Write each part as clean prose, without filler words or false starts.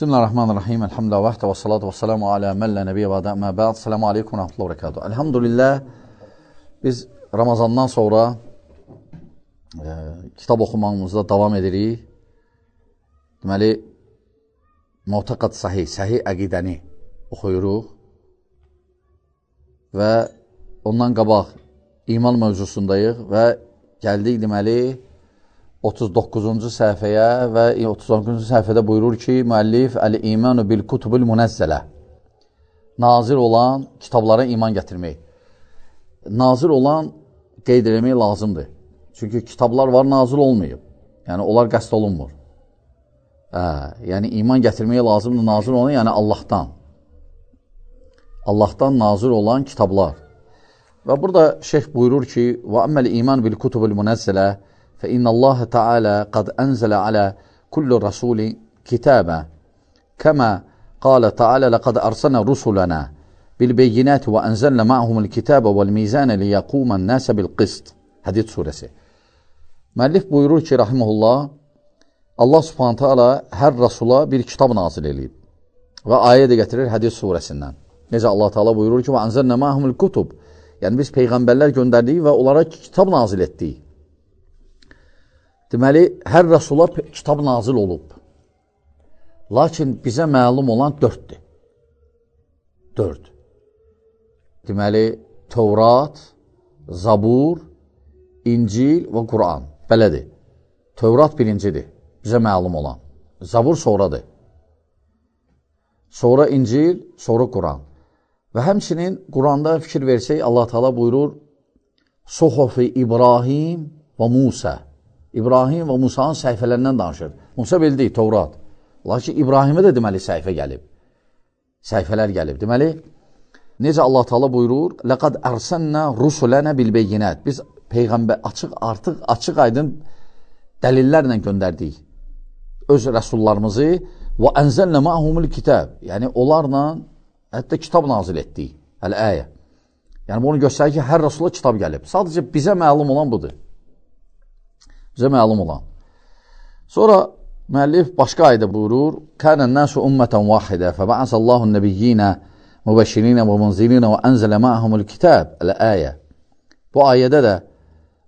Bismillahirrahmanirrahim. Elhamdülillah vahdə və salatu və salamu alə məllə nəbiyyə və əmə bə'd. Selamu aleykum və rəhmətullah və rəkatuhu. Elhamdülillah, biz Ramazandan sonra kitab oxumağımızda davam edirik. Deməli, Mu'taqad sahih əqidəni oxuyuruq və ondan qabaq iman mövzusundayıq və gəldik deməli 39-cu səhifəyə və 39-cu səhifədə buyurur ki, müəllif Əl-İmanu bil-Kutubul Munəzzələ, nazir olan kitablara iman gətirmək. Nazir olan qeyd eləmək lazımdır. Çünki kitablar var, nazil olmayıb. Yəni, onlar qəsd olunmur. Yəni, iman gətirmək lazımdır, nazir olan, yəni Allahdan. Allahdan nazir olan kitablar. Və burada şeyx buyurur ki, وَأَمَّ الْإِيمَانُ بِالْكُتُبِ الْمُنَزَّلَةِ فإن الله تعالى قد أنزل على كل رسول كتابا كما قال تعالى لقد أرسلنا رسلنا بالبينات وأنزلنا معهم الكتاب والميزان ليقوم الناس بالقسط. Hadid suresi. Müəllif buyurur ki, rahimehullah, Allah subhanahu taala hər rasula bir kitab nazil edib. Və ayə də gətirir Hadid surəsindən. Necə Allah taala buyurur ki, və anzalna ma'humul kutub. Yəni biz peyğəmbərlər göndərdik və onlara kitab nazil etdik. Deməli, hər rəsula kitab nazil olub. Lakin bizə məlum olan 4-dür. 4. Deməli, Tövrat, Zabur, İncil və Quran. Belədir. Tövrat birincidir, bizə məlum olan. Zabur sonradır. Sonra İncil, sonra Quran. Və həmçinin Quranda fikir versək, Allah Teala buyurur, Suhufi İbrahim və Musa. İbrahim və Musa'nın səhifələrindən danışır. Musa bildik, Tövrat. Lakin İbrahimə də deməli səhifə gəlib. Səhifələr gəlib. Deməli, necə Allah Teala buyurur, لَقَدْ أَرْسَنَّا رُسُلَنَا بِالْبَيِّنَاتِ Biz Peyğəmbər artıq açıq aydın dəlillərlə göndərdik öz rəsullarımızı və ənzəlnə ma'humul kitab. Yəni, onlarla hətta kitab nazil etdik. Əl-əyə. Yəni, bunu göstərir ki, hər rəsula kitab gəlib. Sadəcə bizə məlum olan budur. Bizə məlum olan. Sonra müəllif başqa ayda buyurur, Kənən nəsu ümmətən vahidə fəbə'əsəllahun nəbiyyinə mübəşşirinə və munzirinə və ənzələ ma'humul kitab əl-əyə. Bu ayədə də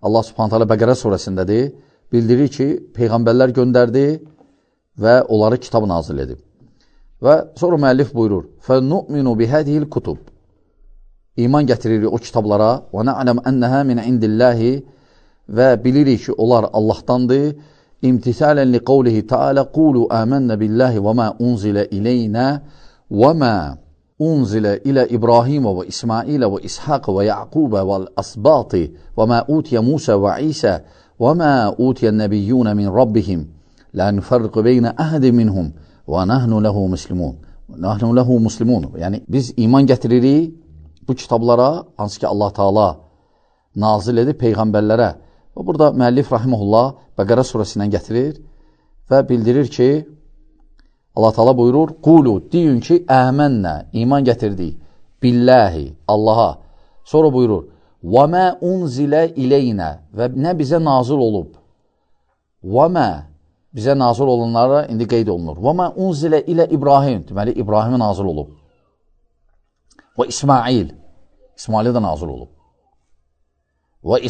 Allah subhanət hələ Bəqərə surəsindədir, bildirir ki, peyğəmbərlər göndərdi və onları kitab nazil edib. Və sonra müəllif buyurur, فَنُؤْمِنُ بِهَدِهِ الْكُتُبِ İman gətiririk o kitablara وَنَعْلَمْ أَنَّهَا مِنْ عِنْدِ اللّٰهِ Və bilirik ki, onlar Allahdandır. İmtisalen li qavlihi ta'ala qulu amennə billahi və mə unzilə ileynə və mə unzilə ilə İbrahimə və İsmailə və İshaqə və Yaqubə və əsbatı və mə utiyə Musa və İsə və mə utiyə nəbiyyunə min Rabbihim la nüfərqü beynə əhədi minhum və nəhnu ləhu muslimun. Yəni, biz iman gətiririk bu kitablara, hansı ki Allah Teala nazil edib peyğəmbərlərə. Və burada müəllif rahimehullah Bəqərə surəsindən gətirir və bildirir ki, Allah Teala buyurur, qulu, deyin ki, əmənnə, iman gətirdik, billahi, Allaha. Sonra buyurur, və mə unzilə ileynə və nə bizə nazil olub. Və mə, bizə nazil olanlara indi qeyd olunur. Və mə unzilə ilə İbrahim, deməli, İbrahimə nazil olub. Və İsmail'ə də nazil olub. Və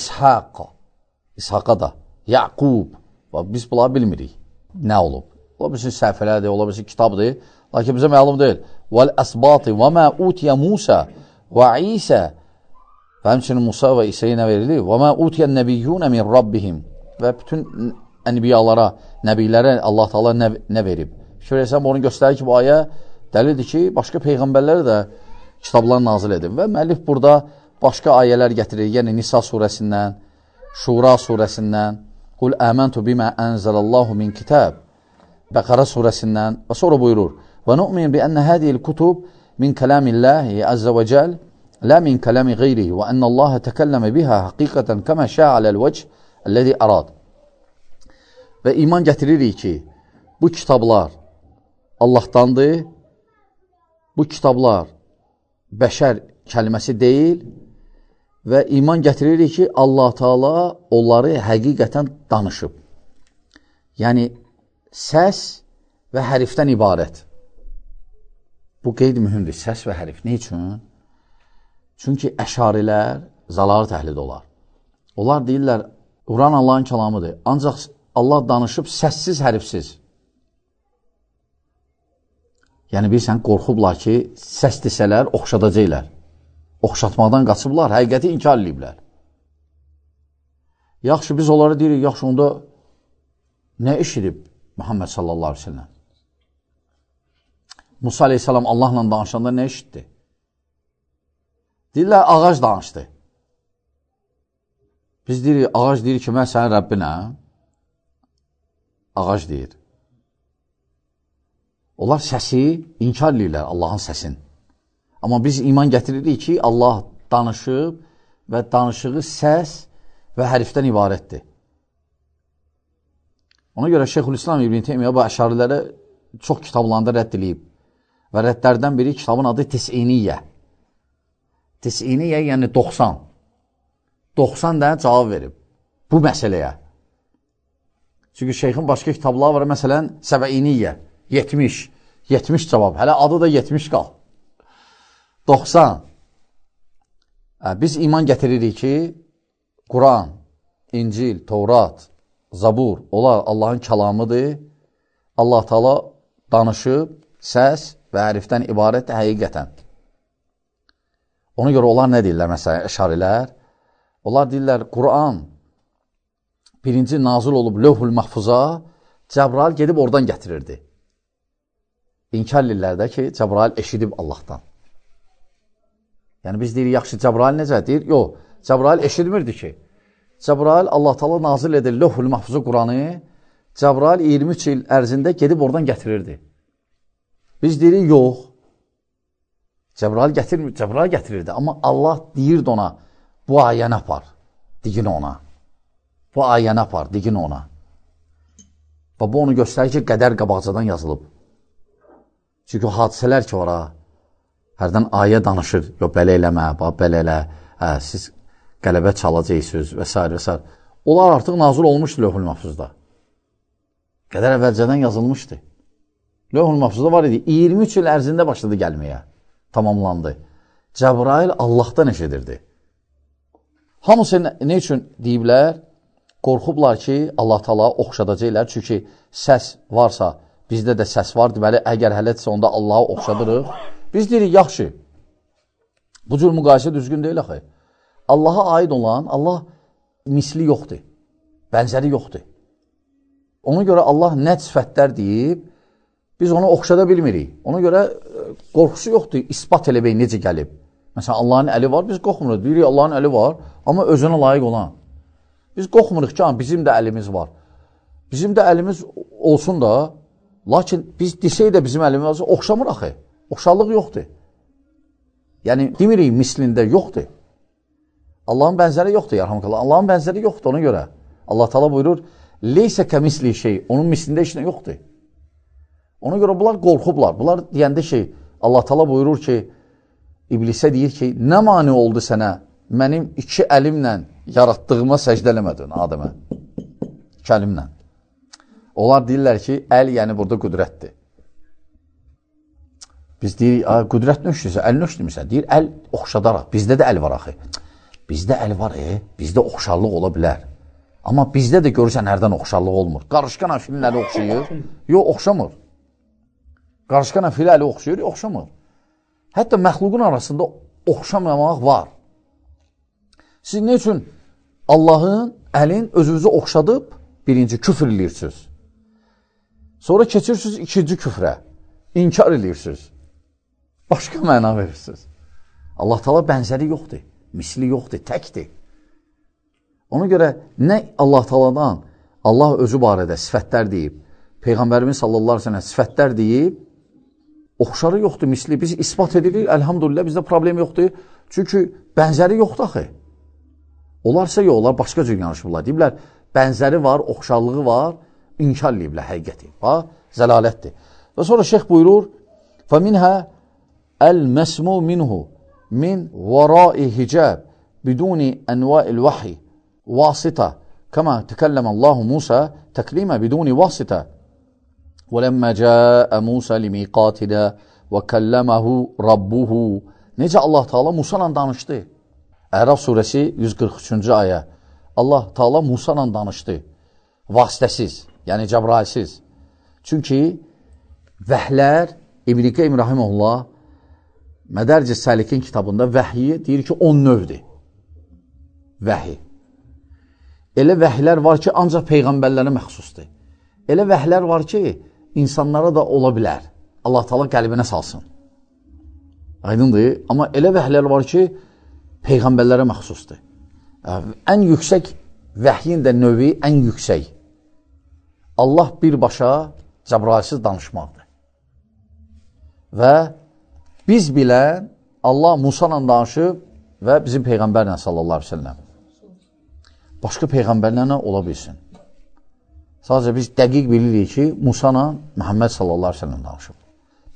İshaqa da, Yaqub, biz bunları bilmirik, nə olub? Ola bilsin səhifələrdir, ola bilsin kitabdır, lakin bizə məlum deyil. Vəl-əsbatı və mə utiyə Musa və İsə və həmçinin Musa və İsəyə nə verilir? Və mə utiyə nəbiyyunə min Rabbihim və bütün ənbiyalara, nəbilərə Allah Teala nə verib? Şöyle sən bunu göstərir ki, bu ayə dəlildir ki, başqa peyğəmbərləri də kitablar nazil edib və müəllif burada başqa ayələr gətirir, yəni Nisa surəsindən, Şura surəsindən, Qul əməntu bimə ənzəlallahu min kitab, Bəqərə surəsindən və sonra buyurur, və nu'min bi ənə hədiyil kutub min kələmillahi əzzə və cəl, lə min kələmi qeyrihi və ənə Allahə təkəlləmə bihə həqiqətən kəmə şəaləl vəcə əlləzi ərad. Və iman gətiririk ki, bu kitablar Allahdandır, bu kitablar bəşər kəlməsi deyil, və iman gətiririk ki, Allah Teala onları həqiqətən danışıb. Yəni, səs və hərfdən ibarət. Bu qeyd mühümdür. Səs və hərif. Ne üçün? Çünki əşarilər zalalı təhlid olar. Onlar deyirlər, Quran Allahın kəlamıdır. Ancaq Allah danışıb səssiz, hərifsiz. Yəni, bilsən, qorxublar ki, səs desələr, oxşadacaqlar. Oxşatmaqdan qaçıblar, həqiqəti inkar ediblər. Yaxşı, biz onlara deyirik, yaxşı, onda nə eşidib Muhammed sallallahu aleyhi ve sellem? Musa aleyhisselam Allahla danışanda nə eşitdi? Deyirlər, ağac danışdı. Biz deyirik, ağac deyir ki, mən sənin Rəbbinəm. Ağac deyir. Onlar səsi inkar edirlər, Allahın səsin. Amma biz iman gətiririk ki, Allah danışıb və danışığı səs və hərfdən ibarətdir. Ona görə Şeyxülislam İbn Teymiyyə bu əşarilərə çox kitablarında rədd edib. Və rəddlərdən biri kitabın adı Tis'iniyyə. Tis'iniyyə yəni 90. 90 da cavab verib bu məsələyə. Çünki şeyxin başqa kitabları var, məsələn, Səbəiniyyə, 70. 70 cavab. Hələ adı da 70 qal. 90. Biz iman gətiririk ki, Quran, İncil, Tevrat, Zabur, onlar Allahın kəlamıdır. Allah Teala danışıb, səs və hərfdən ibarətdir həqiqətən. Ona görə onlar nə deyirlər, məsələn, əşarilər? Onlar deyirlər, Quran birinci nazil olub Lövhül Mahfuza, Cəbrail gedib oradan gətirirdi. İnkar edirlər də ki, Cəbrail eşidib Allahdan. Yəni biz deyirik, yaxşı, Cəbrail necə? Deyir, yox, Cəbrail eşidmirdi ki. Cəbrail Allah Teala nazil edir Lövhül Mahfuza Quranı, Cəbrail 23 il ərzində gedib oradan gətirirdi. Biz deyirik, yox, Cəbrail gətirirdi. Amma Allah deyirdi ona, bu ayəni apar, digin ona. Bu ayəni apar, digin ona. Və bu onu göstərir ki, qədər qabaqcadan yazılıb. Çünki hadisələr ki, ora, hərdən ayə danışır, yox, belə eləmə, belə elə, siz qələbə çalacaqsınız və s. və s. Onlar artıq nazil olmuşdu Lövhül Mahfuzda. Qədər əvvəlcədən yazılmışdı. Lövhül Mahfuzda var idi, 23 il ərzində başladı gəlməyə, tamamlandı. Cəbrail Allahdan eşidirdi. Hamısı nə üçün deyiblər? Qorxublar ki, Allah Teala oxşadacaqlar. Çünki səs varsa, bizdə də səs var. Deməli, əgər hələtsə, onda Allahı oxşadırıq. Biz deyirik, yaxşı. Bu cür müqayisə düzgün deyil axı. Allaha aid olan, Allah misli yoxdur. Bənzəri yoxdur. Ona görə Allah nə sifətlər deyib, biz onu oxşada bilmirik. Ona görə qorxusu yoxdur, ispat eləmək necə gəlib. Məsələn, Allahın əli var, biz qorxmuruq. Deyirik, Allahın əli var, amma özünə layiq olan. Biz qorxmuruq ki, bizim də əlimiz var. Bizim də əlimiz olsun da, lakin biz desək də bizim əlimiz olsun, oxşamır axı. Oxşarlıq yoxdur. Yəni, demirik, mislində yoxdur. Allahın bənzəri yoxdur, yarhamqallah. Allahın bənzəri yoxdur ona görə. Allah Teala buyurur, leysə kəmisli şey, onun mislində işlə yoxdur. Ona görə bunlar qorxublar. Bunlar deyəndə şey, Allah Teala buyurur ki, İblisə deyir ki, nə mani oldu sənə mənim 2 əlimlə yaratdığıma səcdə eləmədin Adəmə? 2 əlimlə. Onlar deyirlər ki, əl yəni burada qüdrətdir. Biz deyirik, qüdrət nöşdürsə, əl nöşdürmüsən? Deyir, əl oxşadaraq. Bizdə də əl var axı. Bizdə əl var, bizdə oxşarlıq ola bilər. Amma bizdə də görürsən, hərdən oxşarlıq olmur. Qarışqan filin əli oxşayır. Yox, oxşamır. Qarışqan filin əli oxşayır, oxşamır. Hətta məxluqun arasında oxşamamaq var. Siz nə üçün Allahın əlin özünüzü oxşadıb birinci küfr edirsiniz. Sonra keçirsiniz ikinci küfrə. İnkar edirsiniz. Başqa məna verirsiniz. Allah Teala bənzəri yoxdur. Misli yoxdur, təkdir. Ona görə nə Allah Teala'dan Allah özü barədə sifətlər deyib, Peyğəmbərimiz sallallahu aleyhi ve sellem sifətlər deyib, oxşarı yoxdur, misli. Biz ispat edirik, əlhamdülillah, bizdə problem yoxdur. Çünki bənzəri yoxdur axı. Onlarsa yox, onlar başqa cür yanışırlar. Deyiblər, bənzəri var, oxşarlığı var, inkar ediblər həqiqəti. Bax, zəlalətdir. Və sonra şeyx buyurur, فَمِنْهَا الْمَسْمُ مِنْهُ مِنْ وَرَاءِ حِجَابِ بِدُونِ أَنْوَاءِ الْوَحِي وَاسِطَةً كَمَا تَكَلَّمَ اللّٰهُ مُوسَى تَكْلِيمًا بِدُونِ وَاسِطَةً وَلَمَّا جَاءَ مُوسَى لِمِيقَاتِنَا və kəlləməhu rabbuhu. Necə Allah Taala Musa ilə danışdı? Ərəf surəsi 143-cü ayə. Allah Taala Musa ilə danışdı. Vasitəsiz, yəni Cəbrailsiz. Çünki vəhlər, İbn-i Qeym Rahiməhullah Mədərc-i Səlikin kitabında vəhyi deyir ki, 10 növdir. Vəhi. Elə vəhlər var ki, ancaq peyğəmbərlərə məxsusdur. Elə vəhlər var ki, insanlara da ola bilər. Allah Taala qəlbinə salsın. Aydındır. Amma elə vəhlər var ki, peyğəmbərlərə məxsusdur. Ən yüksək vəhyin də növü ən yüksək. Allah birbaşa Cəbrailsiz danışmaqdır. Və biz bilən Allah Musa ilə danışıb və bizim peyğəmbərlə sallallahu aleyhi ve sellem. Başqa peyğəmbərlərlə ola bilsin. Sadəcə biz dəqiq bilirik ki, Musa ilə Muhammed sallallahu aleyhi ve sellem danışıb.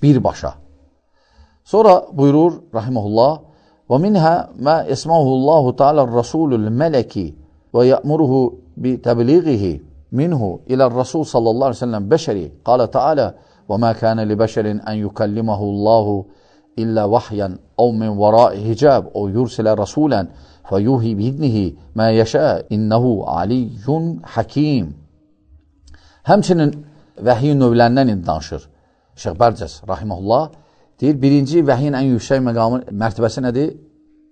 Birbaşa. Sonra buyurur rahimehullah: "Və minha ma ismahullahu ta'ala ar-rasulul meleki ve ya'muruhu bi tebliğihi minhu ila ar-rasul sallallahu aleyhi ve sellem beşeri. Qala ta'ala: "Ve ma kana li beşerin en yukallimahu'llahu illa vahyan aw min wara'i hicab aw yursila rasulan feyuhi bi'idnihi ma yasha innehu aliyyun hakim." Həmçinin vəhyin növlərindən danışır. Şeyx Bərcəs rahimehullah deyir, birinci vəhyin ən yüksək məqamı, mərtəbəsi nədir?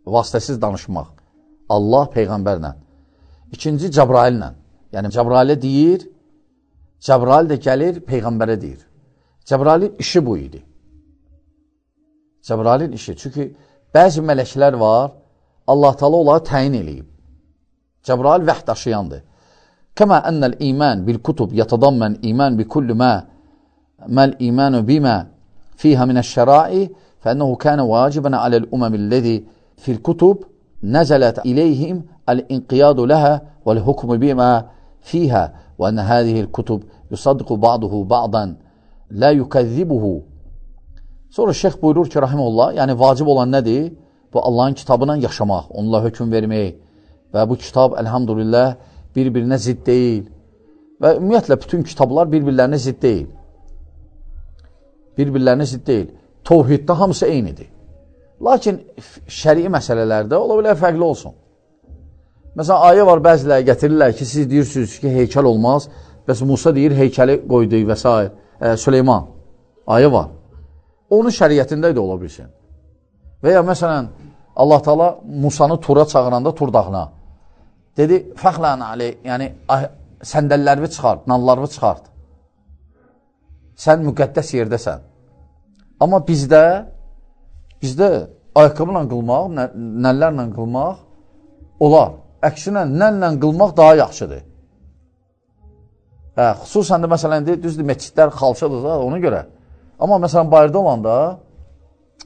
Vasitəsiz danışmaq. Allah peyğəmbərlə. İkinci Cəbraillə. Yəni Cəbrailə deyir, Cəbrail də gəlir peyğəmbərə deyir. Cəbrailin işi bu idi. Cəbrailin işi. Çünki bəzi mələklər var, Allah Taala onları təyin eləyib. Cəbrail vəhy daşıyandır. Kəmə ennəl iman bil kutub yatadammən iman bi kulli ma mal imanu bima fiha min aş-şara'i fa innahu kana wajiban ala'l umamillezî fil kutub nazalat ilayhim al-inqiyadu laha wal hukmu bima fiha ve enne hâzihil kutub yusaddiqu ba'duhu ba'dan la yukazzibuhu. Sonra şeyx buyurur ki, rahimehullah, yəni vacib olan nədir? Bu Allahın kitabına yaşamaq, onunla hökm vermək və bu kitab elhamdülillah bir-birinə zidd deyil. Və ümumiyyətlə bütün kitablar bir-birlərinə zidd deyil. Bir-birlərinə zidd deyil. Tövhiddə hamısı eynidir. Lakin şərii məsələlərdə ola bilər fərqli olsun. Məsələn, ayə var, bəziləri gətirirlər ki, siz deyirsiniz ki, heykəl olmaz. Bəs Musa deyir, heykəli qoydu və s. Süleyman. Ayə var. Onun şəriyyətində də ola bilsin. Və ya məsələn, Allah Taala Musanı Tura çağıranda Tur dağına dedi, fəxlən aley, yəni səndəllərimi çıxart, nallarımı çıxart. Sən müqəddəs yerdəsən. Amma bizdə ayaqqabıyla qılmaq, nəllərlə qılmaq olar. Əksinə, nəllə qılmaq daha yaxşıdır. Xüsusən də məsələn, düzdür, məscidlər xalçadır da ona görə. Amma məsələn, bayırda olanda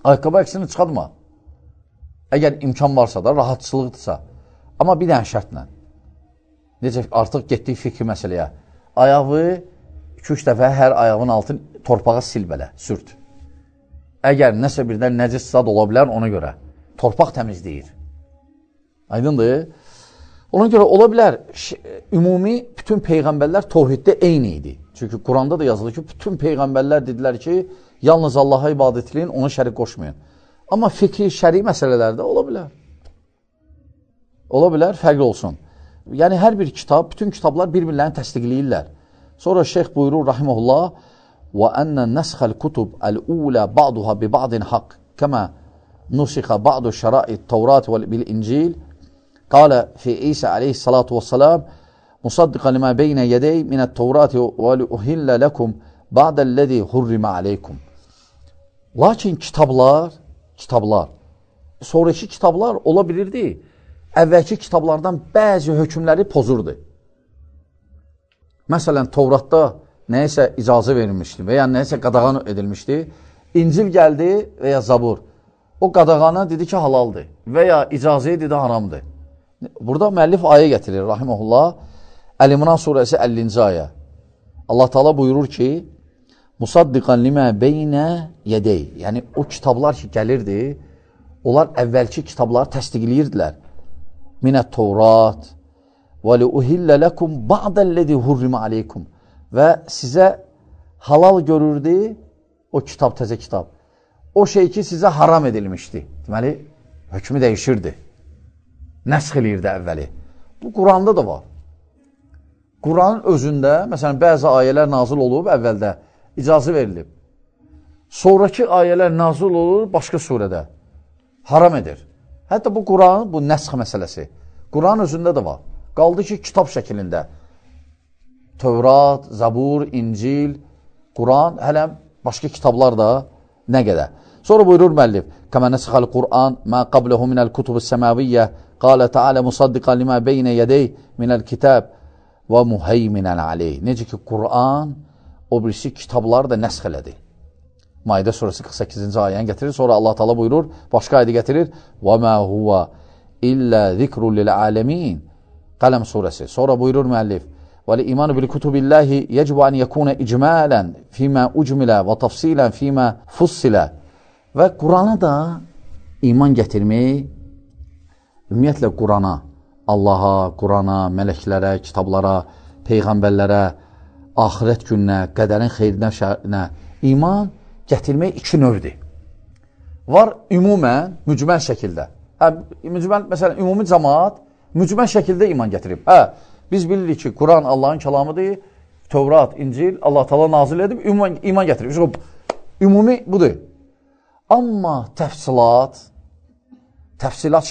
ayaqqabı əksinə çıxartma. Əgər imkan varsa da, rahatçılıqdırsa. Amma bir dənə şərtlə. Necə artıq getdik fikri məsələyə. Ayağı 2-3 dəfə hər ayağın altını torpağa sil belə, sürt. Əgər nəsə birdən nəcis zad ola bilər, ona görə. Torpaq təmizləyir. Aydındır. Ona görə ola bilər, ümumi bütün peyğəmbərlər tövhiddə eyni idi. Çünki Quranda da yazılır ki, bütün peyğəmbərlər dedilər ki, yalnız Allaha ibadət edin, ona şərik qoşmayın. Amma fikri, şəri məsələlərdə ola bilər. Ola bilər, fərqli olsun. Yəni, hər bir kitab, bütün kitablar bir-birlərini təsdiqləyirlər. Sonra şeyx buyurur, rahiməhullah, وَأَنَّ نَسْخَ الْكُتُبْ الْأُولَى بَعْضُهَا بِبَعْضٍ حَقٍّ كَمَا نُسِخَ بَعْضُ شَرَائِعِ التَّوْرَاةِ وَالْإِنْجِيلِ قال في عيسى عليه الصلاة والسلام مصدقا لما بين يدي من التوراة ولأهل لكم بعد الذي حرم عليكم. Lakin kitablar, sonraki kitablar ola bilirdi, əvvəlki kitablardan bəzi hökmləri pozurdu. Məsələn, Tövratda nəyəsə icazə verilmişdi və ya nəyəsə qadağan edilmişdi. İncil gəldi və ya Zabur. O qadağana dedi ki, halaldır və ya icazəyə dedi haramdır. Burada müəllif ayə gətirir, rahiməhullah, Əl-İmran surəsi 50-ci ayə. Allah Taala buyurur ki, Musaddiqan limə beynə yədey. Yəni, o kitablar ki, gəlirdi, onlar əvvəlki kitabları təsdiqləyirdilər. Minət Tevrat və liuhillə ləkum ba'dəlləzi hurrimə aleykum. Və sizə halal görürdü o kitab, təzə kitab. o şey ki sizə haram edilmişdi. Deməli, hökmü dəyişirdi. Nəsx eləyirdi əvvəli. Bu, Quranda da var. Quranın özündə, məsələn, bəzi ayələr nazil olub, əvvəldə icazə verilib. Sonraki ayələr nazil olur başqa surədə. Haram edir. Hətta bu Quranın, bu nəsx məsələsi. Quranın özündə də var. Qaldı ki, kitab şəklində. Tövrat, Zabur, İncil, Quran, hələ başqa kitablar da nə qədər. Sonra buyurur müəllif, Kəmə nəsxəl Qur'an, mə qabləhu minəl kutub-ı səməviyyə, qalə Teala musaddiqan limə beynə yədey minəl kitab və muheyminən aleyh. Necə ki, Qur'an o birisi kitabları da nəsx elədi. Maidə surəsi 48-ci ayəni gətirir. Sonra Allah Teala buyurur, başqa ayədə gətirir. Və mə huvə illə zikrul lil-aləmin. Qələm surəsi. Sonra buyurur müəllif, وَالْإِيمَانُ بِالْكُتُبِ اللّٰهِ يَجْبُ أَنْ يَكُونَ إِجْمَالًا فِيمَا أُجْمِلَ وَتَفْصِيلًا فِيمَا فُصِّلَ. Və Qurana da iman gətirmək, ümumiyyətlə Qurana, Allaha, Qurana, mələklərə, kitablara, peyğəmbərlərə, axirət gününə, qədərin xeyrinə, şərinə iman gətirmək iki növdir. Var ümumən, mücməl şəkildə. Məsələn, ümumi cəmaat mücməl şəkildə iman gətirib. Biz bilirik ki, Quran Allahın kəlamıdır, Tövrat, İncil, Allah Teala nazil edib, iman gətirib. Ümumi budur. Amma təfsilat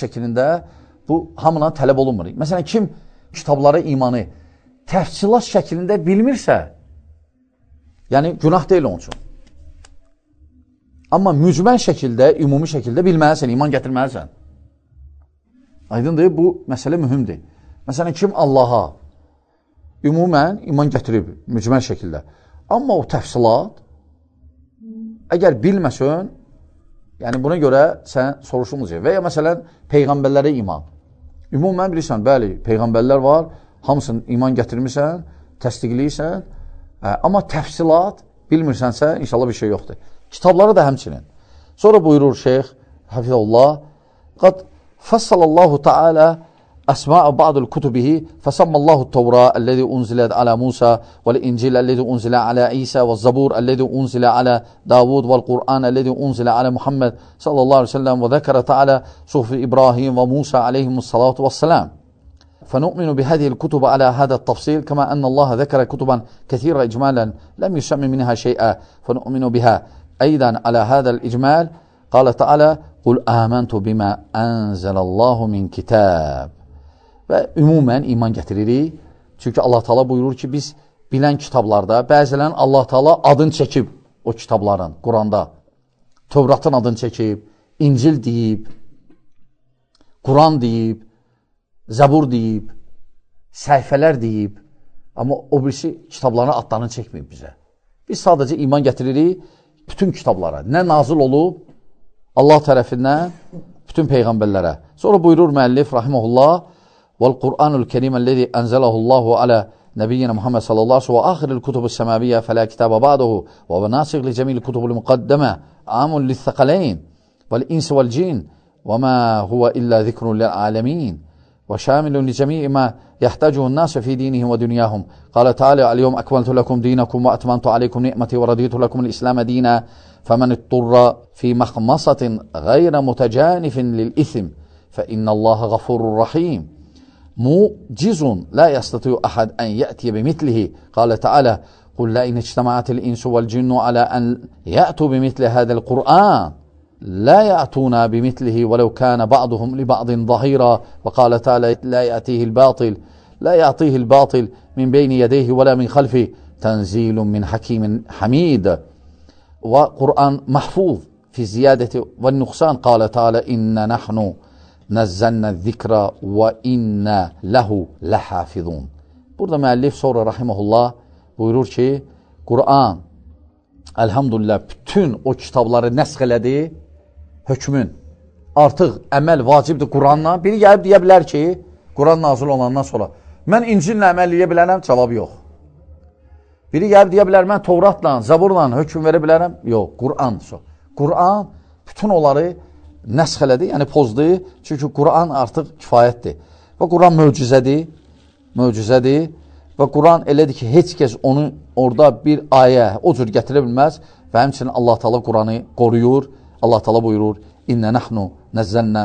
şəklində bu hamına tələb olunmur. Məsələn, kim kitablara imanı təfsilat şəklində bilmirsə, yəni günah deyil onun üçün. Amma mücməl şəkildə, ümumi şəkildə bilməlisən, iman gətirməlisən. Aydındır, bu məsələ mühümdür. Məsələn, kim Allaha ümumən iman gətirib, mücməl şəkildə. Amma o təfsilat, əgər bilməsən, yəni buna görə sən soruşulmayacaq. Və ya məsələn, peyğəmbərlərə iman. Ümumən bilirsən, bəli, peyğəmbərlər var, hamısını iman gətirmirsən, təsdiqləyirsən, amma təfsilat bilmirsənsə, inşallah bir şey yoxdur. Kitabları da həmçinin. Sonra buyurur şeyx, Hafizullah, qad fassalallahu ta'ala أسماء بعض الكتبه فسمى الله التوراة الذي أنزلت على موسى والإنجيل الذي أنزل على عيسى والزبور الذي أنزل على داود والقرآن الذي أنزل على محمد صلى الله عليه وسلم وذكر تعالى صحف إبراهيم وموسى عليهم الصلاة والسلام فنؤمن بهذه الكتب على هذا التفصيل كما أن الله ذكر كتبا كثيرة إجمالا لم يسمى منها شيئا فنؤمن بها أيضا على هذا الإجمال قال تعالى قل آمنت بما أنزل الله من كتاب. Və ümumən iman gətiririk. Çünki Allah Teala buyurur ki, biz bilən kitablarda bəzilərin Allah Teala adını çəkib o kitabların, Quranda. Tövratın adını çəkib, İncil deyib, Quran deyib, Zabur deyib, səhifələr deyib. Amma o birisi kitabların adlarını çəkməyib bizə. Biz sadəcə iman gətiririk bütün kitablara. Nə nazil olub Allah tərəfindən bütün peyğəmbərlərə. Sonra buyurur müəllif, rahiməhullah, والقرآن الكريم الذي أنزله الله على نبينا محمد صلى الله عليه وسلم وآخر الكتب السماوية فلا كتاب بعده وهو ناسخ لجميع الكتب المقدمة عام للثقلين والإنس والجن وما هو إلا ذكر للعالمين وشامل لجميع ما يحتاجه الناس في دينهم ودنياهم قال تعالى اليوم أكملت لكم دينكم وأتممت عليكم نعمتي ورضيت لكم الإسلام دينا فمن اضطر في مخمصة غير متجانف للإثم فإن الله غفور رحيم موجز لا يستطيع أحد أن يأتي بمثله قال تعالى قل لئن اجتمعت الإنس والجن على أن يأتوا بمثل هذا القرآن لا يأتون بمثله ولو كان بعضهم لبعض ظهيرا وقال تعالى لا يأتيه الباطل من بين يديه ولا من خلفه تنزيل من حكيم حميد وقرآن محفوظ في الزيادة والنقصان قال تعالى إن نحن نزلنا الذikra və inna ləhu ləhafizun. Burada müəllif sonra rahiməhullah buyurur ki, Quran elhamdülillah bütün o kitabları nəsx elədi, hökmün. Artıq əməl vacibdir Quranla. Biri gəlib deyə bilər ki, Quran nazil olandan sonra mən İncillə əməl edə bilərəm, cavab yox. Biri gəlib deyə bilər, mən Tövratla, Zaburla hökm verə bilərəm, yox, Quran. Quran bütün onları nəsx elədi, yəni pozdu. Çünki Quran artıq kifayətdir. Və Quran möcüzədir. Və Quran elədir ki, heç kəs onu orada bir ayə o cür gətirə bilməz və həmçinin Allah Teala Quranı qoruyur. Allah Teala buyurur, İnnə nəhnu nəzzəlnə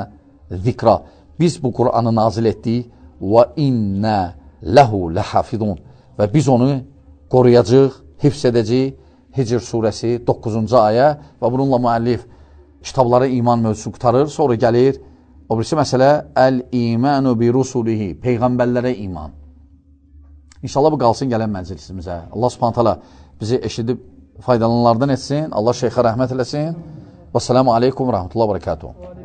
zikra. Biz bu Qur'anı nazil etdik və innə ləhu ləhafidun. Və biz onu qoruyacaq, hifz edəcək. Hicr surəsi 9-cu ayə və bununla müəllif kitablara iman mövzusu qutarır. Sonra gəlir, o birisi məsələ, əl-imanu bi rusulihi, peyğəmbərlərə iman. İnşallah bu qalsın gələn məclisimizə. Allah subhanət hala bizi eşidib faydalananlardan etsin. Allah şeyxə rəhmət eləsin. Və selamu aleykum və rəhmətullah və bərəkatuhu.